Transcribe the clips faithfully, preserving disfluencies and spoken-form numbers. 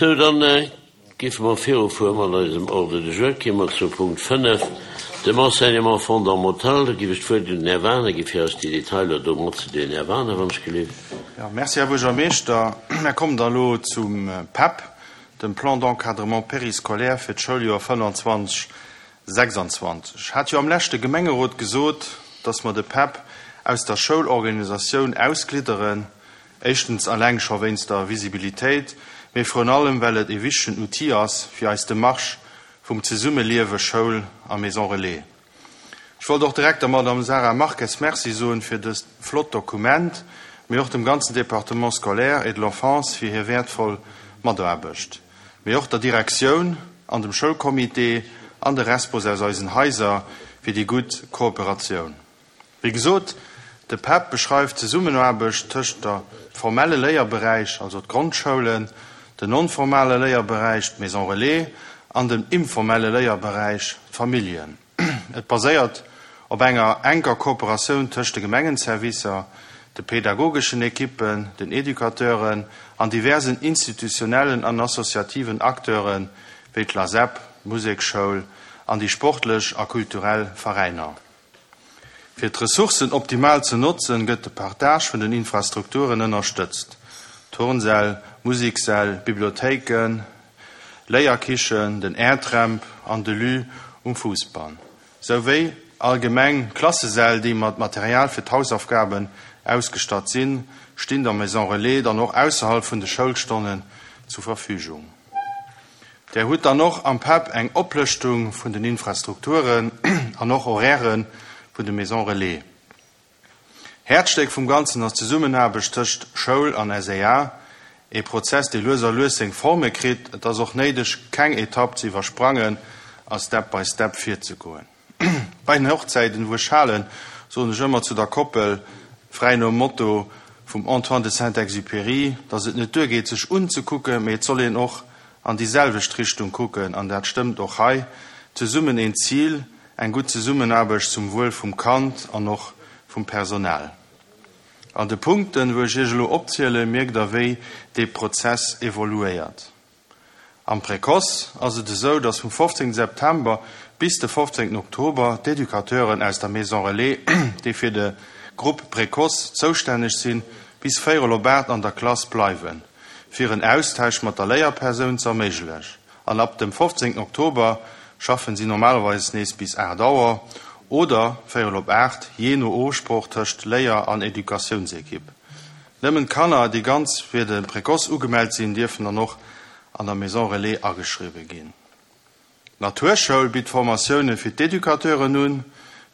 Sou, dann géife mer virufuere mat eisem Ordre du jour. Kéime mer zum Punkt fënnef, dem Enseignement fondamental. Da géif ech d'Wuert un den Här Wagener gi fir eis déi Detailer do matzedeelen. Här Wagener, wann ech gelift. Jo, merci, Här Buergermeeschter. Mer kommen da elo zum PEP, dem Plan d'encadrement périscolaire fir d'Schouljoer fënnanzwanzeg, sechsanzwanzeg. Ech hat jo am leschte Gemengerot gesot, dass mer de PEP aus der Schoulorganisatioun ausglidderen, éischtens alleng scho wéinst der Visibilitéit, mee vrun allem well et e wichtegen Outil ass fir eis Demarche vum Zesummeliewe Schoul a Maison Relais. Ech wollt och direkt der Madame Sara Marques Merci soen fir dëst flott Dokument, mee och dem ganzen Département scolaire et de l'enfance fir hir wäertvoll Mataarbecht, mee och der Direktioun an dem Schoulcomité an de Respos aus eisen Haiser fir déi gutt Kooperatioun. Wéi gesot, de PEP beschreift d'Zesummenaarbecht tëscht der formelle Léierberäich, also d'Grondschoulen, den non-formale Léierberäich, d'Maison Relais, an dem informelle Léierberäich, d'Familljen. Et baséiert op enger enker Kooperatioun tëscht de Gemengenservicer, de pädagogeschen Ekippen, den Educateuren an diversen institutionellen an associativen Acteure wéi d'LASEP, d'Musekschoul an déi sportlech a kulturell Veräiner. Fir d'Ressourcen optimal ze notzen, gëtt de Partage vun den Infrastrukturen ënnerstëtzt, Turnsäll, Musekssäll, Bibliothéiken, Léierkichen, den Airtramp an de Lu um Fousbann, souwéi allgemeng Klassesäll, déi mat Material fir d'Hausaufgaben ausgestatt sinn, stinn der Maison Relais dann och ausserhalb vun de Schoulstonnen zur Verfügung. Der hutt dann och am PEP eng Oplëschtung vun den Infrastrukturen an och Horaire vun de Maison Relais. Häerzstéck vum Ganzen ass d'Zesummenaarbecht tëscht Schoul an S E A, e Prozess, dee lues a lues seng Forme kritt. Et ass och néideg, keng Etapp ze iwwersprangen a Step by Step virzegoen. Bei den Hochzäiten, wou ech halen, soen ech ëmmer zu der Koppel, fräi nom Motto vum Antoine de Saint-Exupéry, dass et net duergeet, sech unzekucken, mee et soll een och an déi selwecht Richtung kucken, an dat stëmmt och hei. Zesummen een Zil, eng gutt Zesummenaarbecht zum Wuel vum Kand an och vum Personal. An de Punkten, wou ech iech elo opzielen, mierkt der, wéi dee Prozess evoluéiert. Am Précoce ass et esou, dass vum fofzéngte September bis de fofzéngten Oktober d'Educateuren aus der Maison Relais, déi fir de Grupp Précoce zoustänneg sinn, bis véierel op aacht an der Klass bleiwen, fir en Austausch mat der Léierpersoun ze erméiglechen. An ab dem fofzéngten Oktober schaffen si normalerweis nees bis aacht Auer oder véierel op aacht, jee no Ofsprooch tëscht Léier an Educatiounsekipp. Nëmmen d'Kanner, déi ganz fir de Précoce ugemellt sinn, dierfen dann och an der Maison Relais ageschriwwe ginn. D'Naturschoul bitt Formatioune fir d'Educateuren un,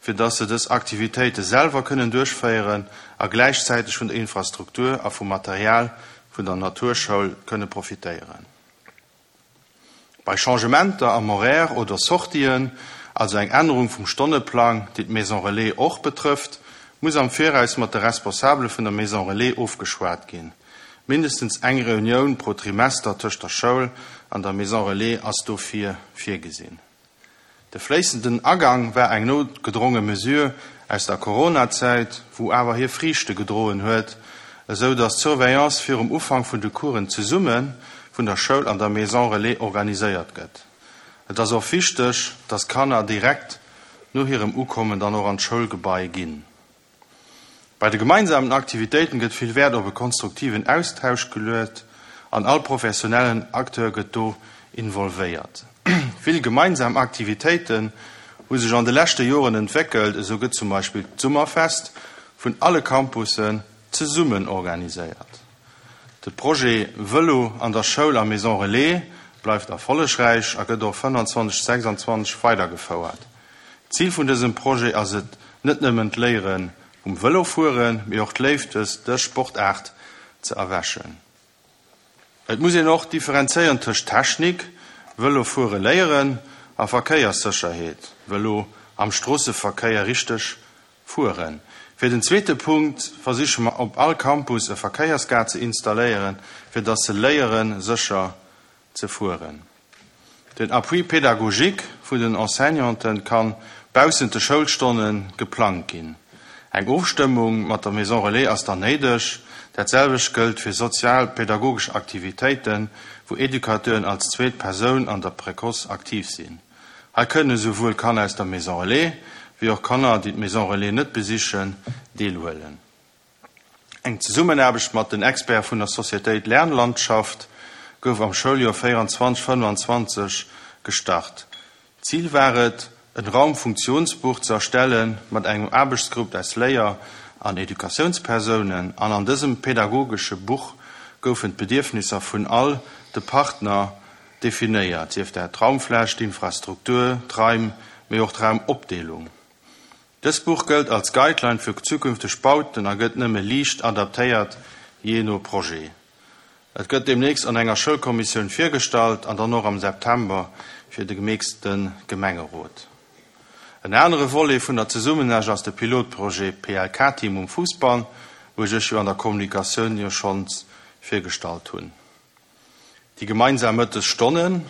fir dass se dës Aktivitéite selwer kënnen duerchféieren a gläichzäiteg vun der Infrastruktur a vum Material vun der Naturschoul kënne profitéieren. Bei Changementer am Horaire oder Sortien, also eng Ännerung vum Stonneplang, déi d'Maison Relais och betrëfft, muss am Viraus mat de Responsabele vun der Maison Relais ofgeschwat ginn. Mindestens eng Reunioun pro Trimester tëscht der Schoul an der Maison Relais ass dofir virgesinn. De fléissenden Agang war eng noutgedronge Mesure aus der Coronazäit, wou awer hir Friichte gedroen huet, esou datt d'Surveillance virum Ufank vun de Coursen zesumme vun der Schoul an der Maison Relais organiséiert gëtt. Et ass och wichteg, dass Kanner direkt no hirem Ukommen dann och an d'Schoulgebai ginn. Bei de gemeinsamen Aktivitéiten gëtt vill Wäert op e konstruktiven Austausch geluecht an all professionellen Acteur gëtt do involvéiert. Vill gemeinsam Aktivitéiten hu sech an de leschte Joren entwéckelt, esou gëtt zum Beispill d'Summerfest vun alle Campussen zesummen organiséiert. De Projet Vëlo an der Schoul a Maison Relais bleift erfollegräich a gëtt och fënnanzwanzeg, sechsanzwanzeg weidergefouert. Zil vun dësem Projet ass et net nëmmen d'Léiere vum Vëlofueren, mee och d'Léift fir dës Sportaart ze erwächen. Et muss een och differenzéieren tëscht Technik, Vëlofuere léieren, a Verkéierssécherheet, Vëlo am Stroosseverkéier richteg fueren. Fir den zweete Punkt versiche mer op all Campus e Verkéiersgaart ze installéieren, fir dass se léieren, sécher ze fueren. Den Appui pédagogique vun den Enseignanten kann baussent de Schoulstonne geplangt ginn. Eng Ofstëmmung mat der Maison Relais ass dann néideg. Dat selwecht gëllt fir sozialpädagogesch Aktivitéiten, wou Educateuren als zweet Persoun an der Précoce aktiv sinn. Hei kënne souwuel Kanner aus der Maison Relais, wéi och Kanner, déi d'Maison Relais net besichen, deelhuelen. Eng Zesummenaarbecht mat den Experte vun der Societéit Lernlandschaft gouf am Schouljoer véierundzwanzeg, fënnefanzwanzeg gestart. Zil war et, en Raumfunktionsbuch ze erstellen mat engem Aarbechtsgrupp aus Léier an Educatiounspersounen an an dësem pädagogesche Buch goufen d'Bedierfnisser vun all de Partner definéiert, sief dat d'Raumfläch, d'Infrastruktur, d'Raim, mee och d'Raumopdeelung. Dëst Buch gëllt als Guideline fir zukünfteg Bauten a gëtt nëmme liicht adaptéiert, jee no Projet. Et gëtt deemnächst an enger Schoulkommissioun virgestallt an dann och am September fir de gemixte Gemengerot. En anere Volet vun der Zesummenaarbecht ass de Pilotprojet P L K-Team um Fousbann, wou ech iech jo an der Kommunikatioun jo schonns virgestallt hunn. Déi gemeinsam Mëttesstonnen.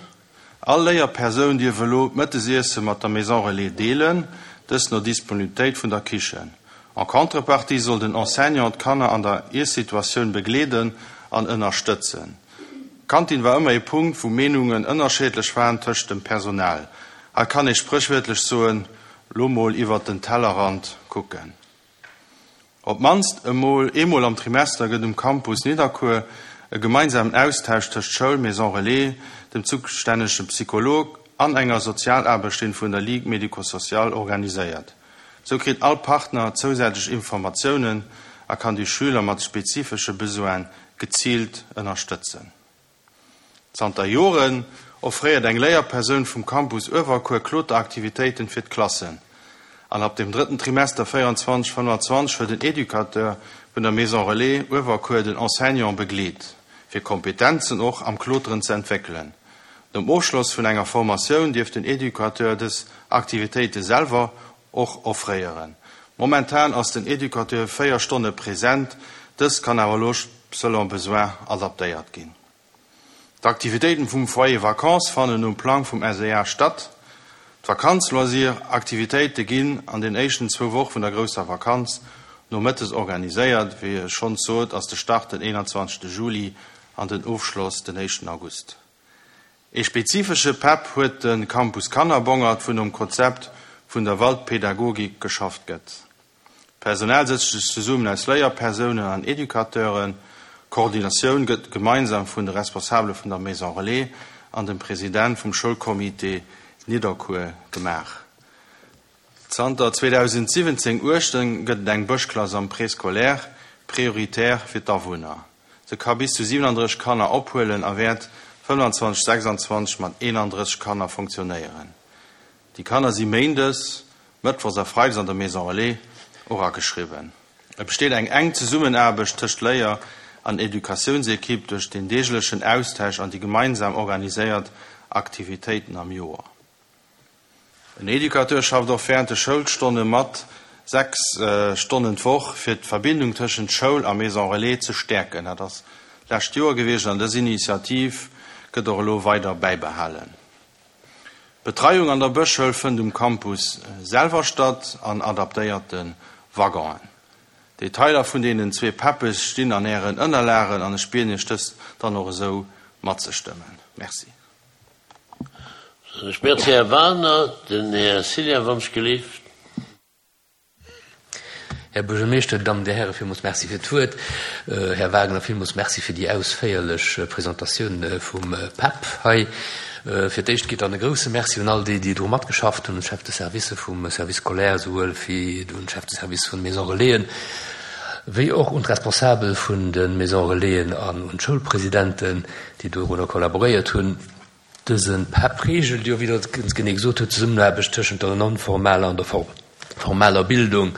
All Léierpersoun dierf elo d'Mëttesiesse mat der Maison Relais deelen, dëst no Disponibilitéit vun der Kichen. En contrepartie soll den Enseignant d'Kanner an der Iessituatioun begleeden an ënnerstëtzen. D'Kantin war ëmmer e Punkt, wou Meenungen ënnerschiddlech waren tëscht dem Personal. Hei kann ee spréchwiertlech soen, lo mol iwwer den Tellerrand kucken. Op d'mannst emol eemol am Trimester gëtt um Campus Nidderkuer e gemeinsamen Austausch tëscht Schoul, Maison Relais, dem zoustännege Psycholog an enger Sozialaarbechterin vun der Ligue médico-sociale organiséiert. Sou kritt all Partner zousätzlech Informatiounen a kann déi Schüler mat spezifesche Besoine geziilt ënnerstëtzen. Zanter Joren offréiert eng Léierpersoun vum Campus Uewerkuer Kloteraktivitéiten fir d'Klassen. An ab dem drëtten Trimester véierundzwanzeg, fënnefanzwanzeg huet den Educateur vun der Maison Relais Uewerkuer den Enseignant begleet, fir Kompetenzen och am Kloteren ze entwéckelen. Nom Ofschloss vun enger Formatioun dierf den Educateur dës Aktivitéite selwer och offréieren. Momentan ass den Educateur véier Stonne present, dës kann awer elo selon besoin adaptéiert ginn. D'Aktivitéiten vum Foyer Vacances fannen um Plang vum S E A statt. D'Vakanz-Loisir-Aktivitéite ginn an den éischten zwou Woche vun der grousser Vakanz nomëttes organiséiert. Wéi ech schonns sot, ass de Start den eenanzwanzegste Juli an den Ofschloss den éischten August. E spezifesche PEP huet de Campus Kannerbongert, wou nom Konzept vun der Waldpädagogik geschafft gëtt. D'Personal setzt sech zesummen aus Léierpersounen an Educateuren. D'Koordinatioun gëtt gemeinsam vun de Responsabele vun der Maison Relais an dem President vum Schoulcomité Nidderkuer gemaach. Zanter zweedausendsiwwenzéng uechtzéng gëtt et eng Bëschklass am Préscolaire prioritaire fir d'Awunner. Se ka bis zu siwenandrësseg Kanner ophuelen a wäert fënnefanzwanzeg, sechsanzwanzeg mat eenandrësseg Kanner funktionéieren. Déi Kanner si méindes, mëttwochs a freides an der Maison Relais och ageschriwwen. Et besteet eng enk Zesummenaarbecht tëscht Léier an Educatiounsekipp duerch den deeglechen Austausch an déi gemeinsam organiséiert Aktivitéiten am Joer. En Educateur schafft och wärend de Schoulstonne mat, sechs Stonnen d'Woch, fir d'Verbindung tëschent Schoul a Maison Relais ze stäerken. Dat ass d'lescht Joer gewiescht an dës Initiativ gëtt och elo weider bäibehalen. D'Betreiung an der Bëschschoul fënnt um Campus selwer statt an adaptéierte Waggonen. Detailer vun deenen zwee PEPe stinn an Ären Ënnerlagen an ech bieden Iech dës dann och esou matzestëmmen. Merci. Ech merci Här Wagner, den Här Cillien wann ech gelift. Här Buergermeeschter, Dammen, Dir Hären, villmools Merci fir d'Wuert. Här Wagner, villmools Merci fir déi ausféierlech Presentatioun vum PEP hei. Fir d'éischt geet dann e grouse Merci un all déi, déi dru matgeschafft hunn, un d'Chef de Service vum Service scolaire, souwuel wéi un d'Chef de Service vun de Maison Relaisen, wéi och un d'Responsabel vun de Maison Relaisen an un d'Schoulpresidenten, déi dorunner kollaboréiert hunn. Dëse PEP reegelt jo, wéi Der et ganz genee gesot hutt, d'Zesummenaarbecht tëschent der non-formaler an der formaler Bildung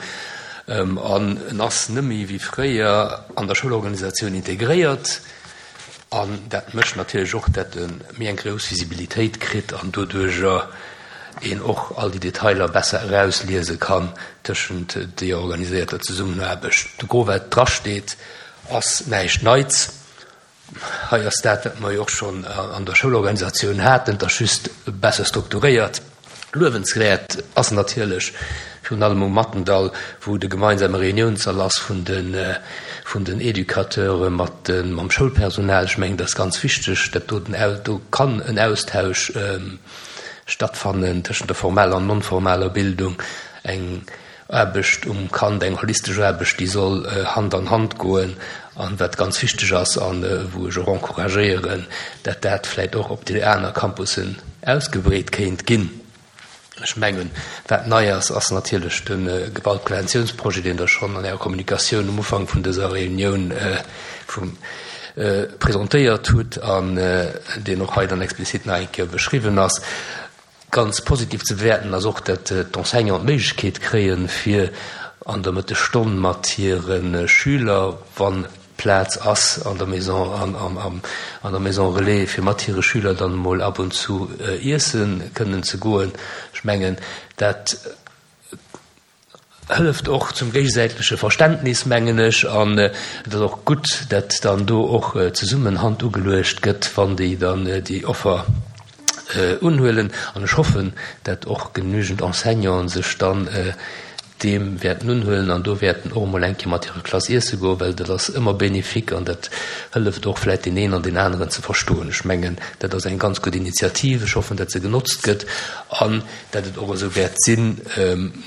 an en ass net méi wéi fréier an der Schoulorganisatioun integréiert an dat mécht natierlech och, dat e méi eng grouss Visibilitéit kritt an doduerjer een och all déi Detailer besser erausliese kann tëschent deeër organiséierter Zesummenaarbecht. De Gros wat drasteet ass näischt Neits. Hei ass dat, wat mer jo och schonn an der Schoulorganisatioun haten, et ass just besser strukturéiert. Luewenswäert ass natierlech virun allem um Mattendall, wou de gemeinsame Reuniounssall ass vun de vun den Educateure mat den, mam Schoulpersonal. Ech mengen, dat ass ganz wichteg, dat do den, do kann en Austausch stattfannen tëschent der formeller an non-formaler Bildung. Eng Aarbecht um Kand, eng holistesch Aarbecht, déi soll Hand an Hand goen. An wat ganz wichteg ass an wou ech och encouragéieren, dat dat vläicht och op déi aner Campussen ausgebreet kéint ginn. Ech mengen, wat nei ass, ass natierlech de Gewaltpreventiounsprojet, deen Der schonn an Ärer Kommunikatioun um Ufank vun dëser Reunioun vum presentéiert hutt an deen och hei dann explizit nach eng Kéier beschriwwen ass. Ganz positiv ze bewäerten ass och, datt d'Enseignanten d'Méiglechkeet kréien, fir an der Mëttesstonn mat hire Schüler, wa Plaz ass an der Maison, an, an, an der Maison Relais, fir mat hire Schüler dann emol ab und zu iesse kënnen ze goen. Ech mengen, dat hëlleft och zum géigesäitleche Verständnis, mengen ech, an et ass och gutt, datt dann do och zesummen Hand ugeluecht gëtt, wann déi dann déi Offer unhuelen. An ech hoffen, datt och genügend Enseignanten sech dann deem wäerten unhuelen an do wäerten och emol eng Kéier mat hirer Klass iesse goen, well dat ass ëmmer bénéfique an dat hëlleft och vläicht deen een an deen aneren ze verstoen. Ech mengen, dat ass eng ganz gutt Initiativ. Ech hoffen, datt se genotzt gëtt an datt et och esou wäert sinn,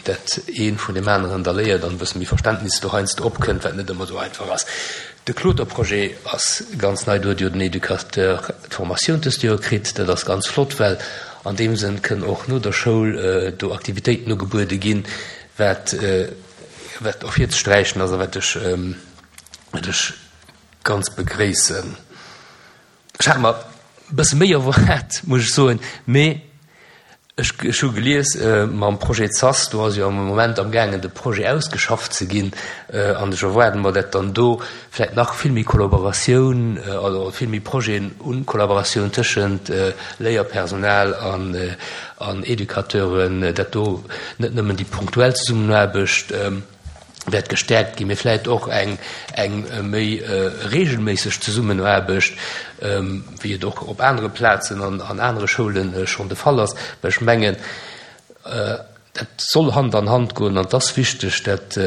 datt ee vun deem aneren da léiert an e bësse méi Verständnis do heiansdo opkënnt, wat net ëmmer esou einfach ass. De Kloterprojet ass ganz nei, do huet jo den Educateur d'Formatioun dëst Joer kritt. Dat ass ganz flott, well an deem Sënn kënnen och no der Schoul do Aktivitéiten ugebuede ginn, wat wat ervirzesträichen ass a wat ech wat ech ganz begréissen. Ech hat mer e bësse méi erwaart, muss ech soen, mee ech ech hu gelies mam Projet SAS, do ass jo am Moment amgaangen de Projet ausgeschafft ze ginn, an ech erwaarde mer, dat dann do vläicht nach vill méi Kollaboratioun oder vill méi Projeten un Kollaboratioun tëschent Léierpersonal an an Educateuren, dat do net nëmmen déi punktuell Zesummenaarbecht wäert gestäerkt ginn, mee vläicht och eng eng méi reegelméisseg Zesummenaarbecht, wéi et och op anere Plazen an an anere Schoule schonn de Fall ass. Well ech mengen, dat soll Hand an Hand goen an et ass wichteg, dat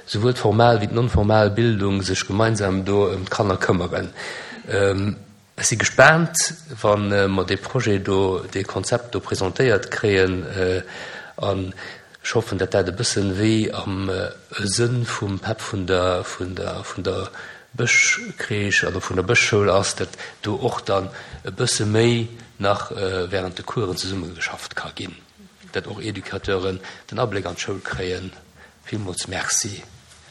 souwuel d'formal wéi d'non-formal Bildung sech gemeinsam do ëm d'Kanner këmmeren. Ech si gespaant, wa mer dee Projet do, dee Konzept do presentéiert kréien an ech hoffen, datt dat e bëssen wéi am Sënn vum PEP vun der, vun der, vun der Bëschcrèche oder vun der Bëschschoul ass, datt do och dann e bësse méi nach während de Coursen zesummegeschafft ka ginn, datt och Educateuren den Abléck an d'Schoul kréien. Villmools Merci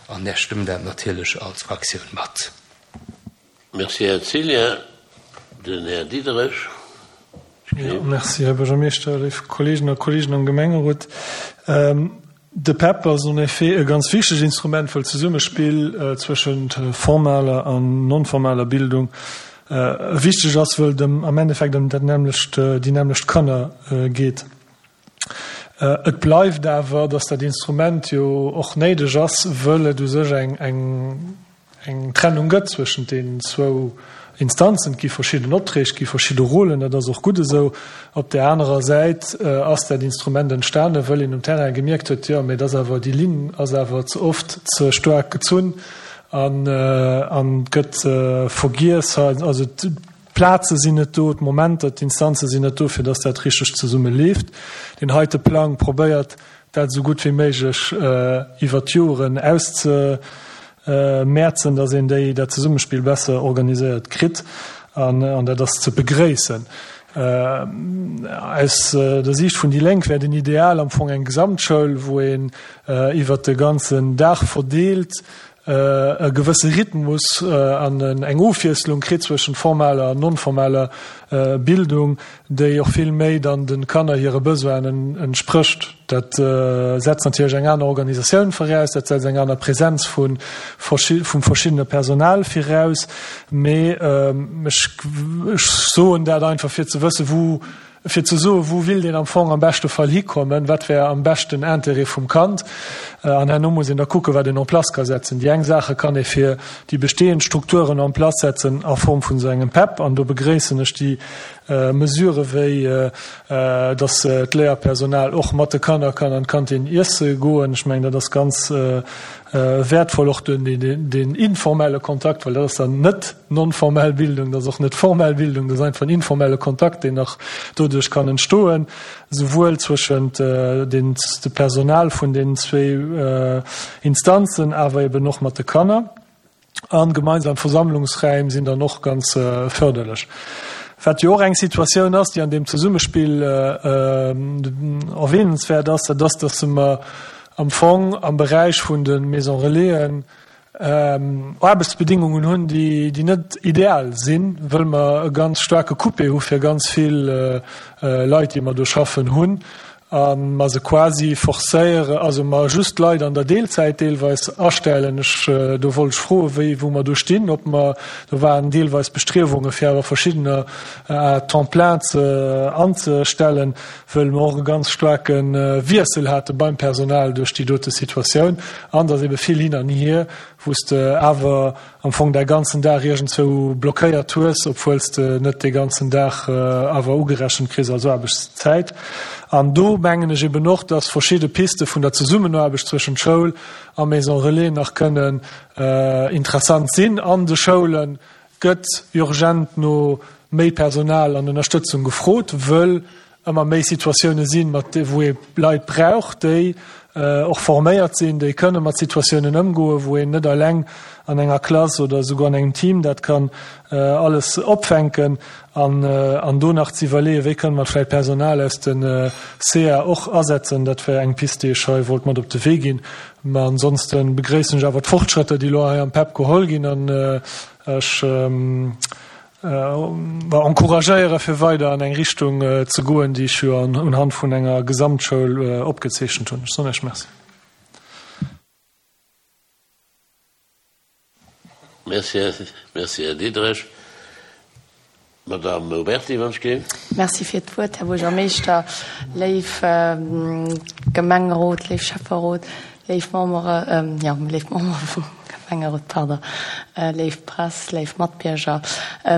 an mär stëmmen dat natierlech als Fraktioun mat. Merci, Här Cillien. Den Här Diderich. Jo, merci, Här Buergermeeschter, léif Kolleegen a Kolleegen am Gemengerot. De PEP ass en effet e ganz wichtegt Instrument, wëll d'Zesummespill zwëschent formaler an non-formaler Bildung wichteg ass, wëll et am Endeffekt ëm dat nämmlecht, déi nämmlecht Kanner geet. Et bleift awer, dass dat Instrument jo och néideg ass, wëll et u sech eng, eng, eng Trennung gëtt zwëschent deenen zwou Instanzen. Et gi verschidden Opträg, et gi verschidde Rôlen, dat ass och gutt esou. Op där anerer Säit ass dat Instrument entstanen, wëll een um Terrain gemierkt huet, jo, mee et ass awer, déi Linn ass awer ze oft ze staark gezunn an an gëtt vergiess. Also d'Plaze sinn net do, d'Momenter, d'Instanze sinn net do, fir datt dat richteg zesumme leeft. Deen heite Plang probéiert, dat esou gutt wéi méiglech iwwert d'Joren auszemäerzen, datt een déi, dat Zesummespill besser organiséiert kritt, an dat ass ze begréissen. Aus der Siicht vun déi Lénk wär den Ideal am Fong eng Gesamtschoul, wou een iwwert de ganzen Dag verdeelt e gewësse Rhythmus an eng Ofwiesslung kritt zwëschent formaler an non-formaler Bildung, déi och vill méi dann de Kanner hire Besoinen entsprécht. Dat setzt natierlech eng aner Organisatioun viraus, dat setzt eng aner Präsenz vu vum verschiddene Personal viraus, mee ech soen dat einfach fir ze wëssen, wou fir ze soen, wou willt een am Fong am beschte Fall hikommen, wat wär am beschten Intérêt vum Kand. An herno muss een da kucken, wat een en place ka setzen. Déi eng Saache kann ee fir déi bestehend Strukturen en place setzen a Form vun esou engem PEP. An do begréissen ech déi Mesure wéi, dass d'Léierpersonal och mat de Kanner kann an d'Kantin iesse goen. Ech mengen, dat ass ganz wäertvoll, och den, den, den informelle Kontakt, well dat ass dann net non-formell Bildung, dat ass och net formell Bildung, dat ass einfach en informelle Kontakt, deen nach doduerch kann entstoen, souwuel zwëschent den, de Personal vun den zwee Instanzen, awer eben och mat de Kanner. A gemeinsam Versammlungsräim sinn dann och ganz förderlech. Wat jo och eng Situatioun ass, déi an deem Zesummespill erwähnenswäert ass, dat ass, dass mer am Fong am Beräich vun de Maison Relaisen Aarbechtsbedingungen hunn, déi net ideal sinn, wëll mer e ganz staarke Coupé hu fir ganz vill Leit, déi mer do schaffen hunn, a mer se quasi forcéieren, also mer just Leit an der Deelzäit deelweis astellen. Ech, do wollt ech froen, wéi, wou mer do stinn, ob mer, do waren deelweis Bestriewunge fir awer verschiddener à temps plein ze anzestellen, wëll mer och e ganz staarke Wiessel hate beim Personal duerch déi dote Situatioun an dass ebe vill hin an hier, wou s de awer am Fong däi ganzen Dag iergendzwou blockéiert hues, obwuel s de net dee ganzen Dag awer ugerechent kriss als Aarbechtszäit. An do mengen ech eben och, dass verschidde Piste vun der Zesummenaarbecht zwëschent Schoul a Maison Relais nach kënnen interessant sinn. An de Schoule gëtt urgent no méi Personal an Ënnerstëtzung gefrot, wëll ëmmer méi Situatioune sinn, mat wou ee Leit brauch, déi och forméiert sinn, déi kënne mat Situatiounen ëmgoen, wou een net eleng an enger Klass oder esouguer an engem Team dat kann alles opfänken. An an do nach ze iwwerleeën, wéi kënne mer vläicht Personal aus de C A och asetzen, dat wär eng Pist, déi ech hei wollt mat op de Wee ginn. Mä ansonste begréissen ech awer d'Fortschrëtter, déi elo hei am PEP geholl ginn, an ech encouragéiere fir weider an eng Richtung ze goen, déi ech jo unhand vun enger Gesamtschoul opgezeechent hunn. Ech soen Iech Merci. Merci, merci Här Diderich. Madame Uberti, wann ech géif. Merci fir d'Wuert, Här Buergermeeschter, léif Gemengerot, léif Schäfferot, léif Membere, jo, léif Membere vum Gemengerot, pardon, léif Press, léif Matbierger.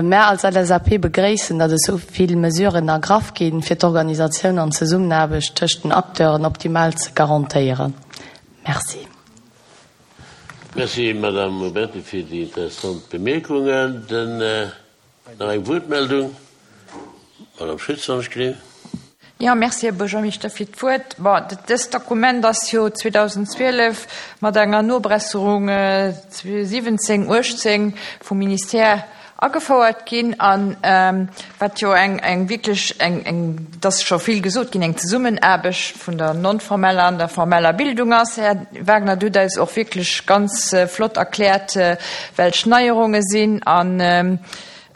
Mär als L S A P begréissen, datt esou vill Mesuren ergraff ginn, fir d'Organisatioun an d'Zesummenaarbecht tëscht den Acteuren optimal ze garantéieren. Merci. Merci, Madame Uberti, fir déi interessant Bemierkungen. Den, nach eng Wuertmeldung? Madame Schütz, wann ech gleef. Ja, merci, Här Buergermeeschter, fir d'Wuert. Bon, dëst Dokument ass jo zweedausendzwielef mat enger Nobesserung siwwenzéng, uechtzéng vum Ministère agefouert ginn, an wat jo eng, eng wierklech eng, eng, et ass scho vill gesot ginn, eng Zesummenaarbecht vun der non-formeller an der formeller Bildung ass. Här Wagner, du hutt eis och wierklech ganz flott erkläert, welch Neierunge sinn, an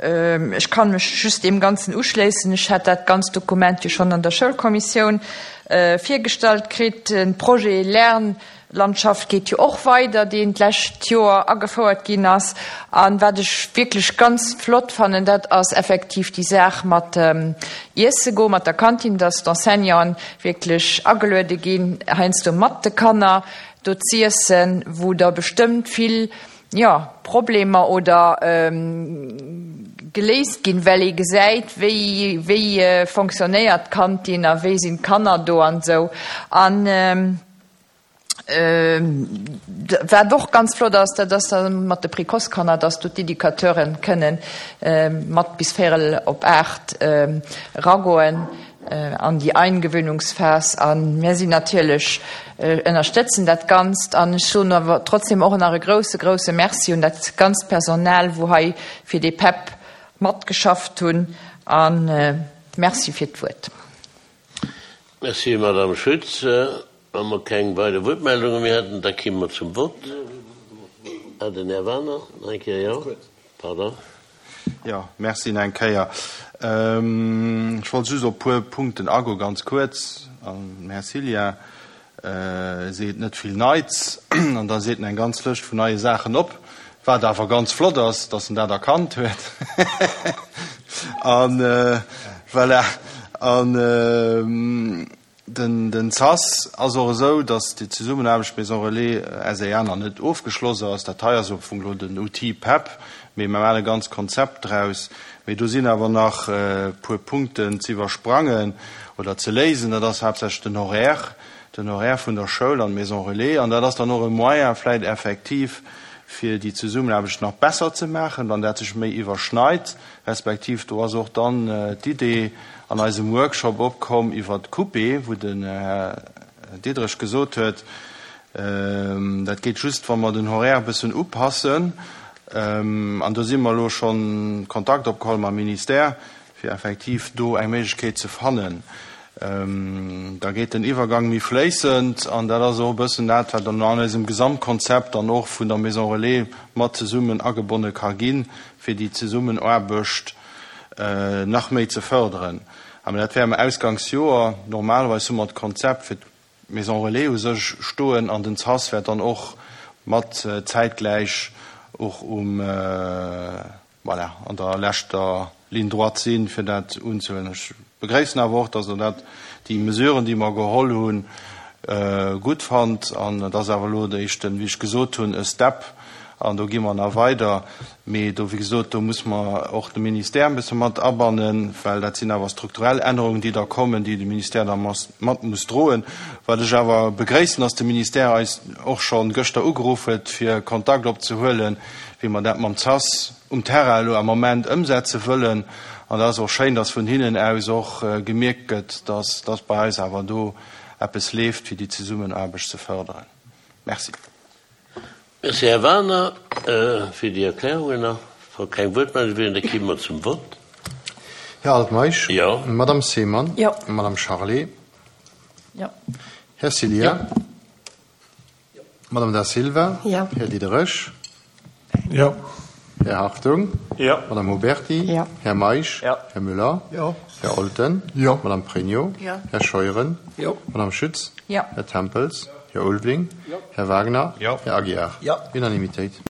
ech kann mech just deem Ganzen uschléissen. Ech hat dat ganzt Dokument jo schonn an der Schoulkommissioun virgestallt kritt. Den Projet Lernlandschaft geet jo och weider, deen d'lescht Joer agefouert ginn ass. An wat ech wierklech ganz flott fannen, dat ass effektiv déi Saach mat Iesse goen, mat der Kantin, dass d'Enseignanten wierklech ageluede ginn, heiansdo mat de Kanner do z'iessen, wou da bestëmmt vill, jo, Problemer oder geléist ginn, well ee gesäit, wéi, wéi fonctionnéiert d'Kantin a wéi sinn d'Kanner do an esou. An wat och ganz flott ass, dat ass da mat de Précoce-Kanner, dass do d'Educateuren kënnen mat bis véierel op aacht eragoen an déi Eingewöhnungsphas. An mir sinn natierlech, ënnerstëtzen dat Ganzt. An ech soen awer trotzdem och nach e grousse, grousse Merci un dat ganzt Personal, wou hei fir dee P E P matgeschafft hunn. An Merci fir d'Wuert. Merci, Madame Schütz. Wa mer keng weider Wuertmeldunge méi hätten, da komme mer zum Vott. Ah, den Här Werner, nach eng Kéier, jo. Pardon. Jo, merci nach eng Kéier. Ech wollt just op e puer Punkten agoen, ganz kuerz. An den Här Cillien seet net vill Neits an da seet en eng ganz Lëscht vun neie Saachen op, wat awer ganz flott ass, dass en dat erkannt huet. An voilà. An den, den S A S ass och esou, dass déi Zesummenaarbecht Maison Relais S A nach net ofgeschloss ass. Dat hei ass am Fong elo den Outil P E P, mee mir maachen e ganz Konzept draus. Mee do sinn awer nach e puer Punkten ze iwwersprangen oder ze léisen. Dat ass haaptsächlech den Horaire. den Horaire vun der Schoul an d'Maison relais. An dat ass dann och e Moyen vläicht effektiv, fir déi Zesummenaarbecht nach besser ze maachen, wann dat sech méi iwwerschneit, respektiv do ass och dann d'Idee an eisem Workshop opkomm iwwert d'Coupe, wou den Här Diderich gesot huet, dat geet just, wa mer den Horaire e bëssen upassen. An do si mer elo schonn Kontakt opgeholl mam Ministère, fir effektiv do eng Méiglechkeet ze fannen. Da geet den Iwwergang méi fléissend an dat ass och e bëssen dat, wat dann an eisem Gesamtkonzept dann och vun der Maison Relais mat zesummen agebonne ka ginn, fir déi Zesummenaarbecht nach méi ze fërderen. Mä dat wär am Ausgangsjoer. Normalerweis hu mer d'Konzept fir d'Maison Relais u sech stoen an den CAS wäert dann och mat zäitgläich och um, voilà, an der leschter Ligne droite sinn, fir dat unzehuelen. Ech begréissen awer och, dass Der dat, déi Mesuren, déi mer geholl hunn, gutt fannt. An et ass awer elo de éischten, wéi ech gesot hunn, e Step. An do gi mer nach weider. Mee do, wéi gesot, do muss mer och de Ministère e bësse mat abannen, well dat sinn awer strukturell Ännerungen, déi da kommen, déi de Ministère da mat muss droen. Wat ech awer begréissen, dass de Ministère eis och scho gëschter ugeruff huet, fir Kontakt opzehuelen, wéi mer dat mam CAS um Terrain elo am Moment ëmsetze wëllen. An dat ass och schéin, dass vun hinnen aus och gemierkt gëtt, dass dass bei eis awer do eppes leeft, fir déi Zesummenaarbecht ze fërderen. Merci. Merci, Här Wagener, fir déi Erklärungen. A wa keng Wuertmeldung wieren, da kimme mer zum Vott. Här Altmeisch? Jo. Madame Seemann? Jo. Madame Charlé? Jo. Här Cillien? Jo. Madame Da Silva? Jo. Här Diderich? Jo. Här Hartung? Jo. Madame Huberty? Jo. Här Meisch? Jo. Här Müller? Jo. Här Olten? Jo. Madame Pregno? Jo. Här Scheuren? Jo. Madame Schütz? Jo. Här Tempels? Här Ulveling? Jo. Här Wagner? Jo. Här Aguiar? Jo. Unanimitéit.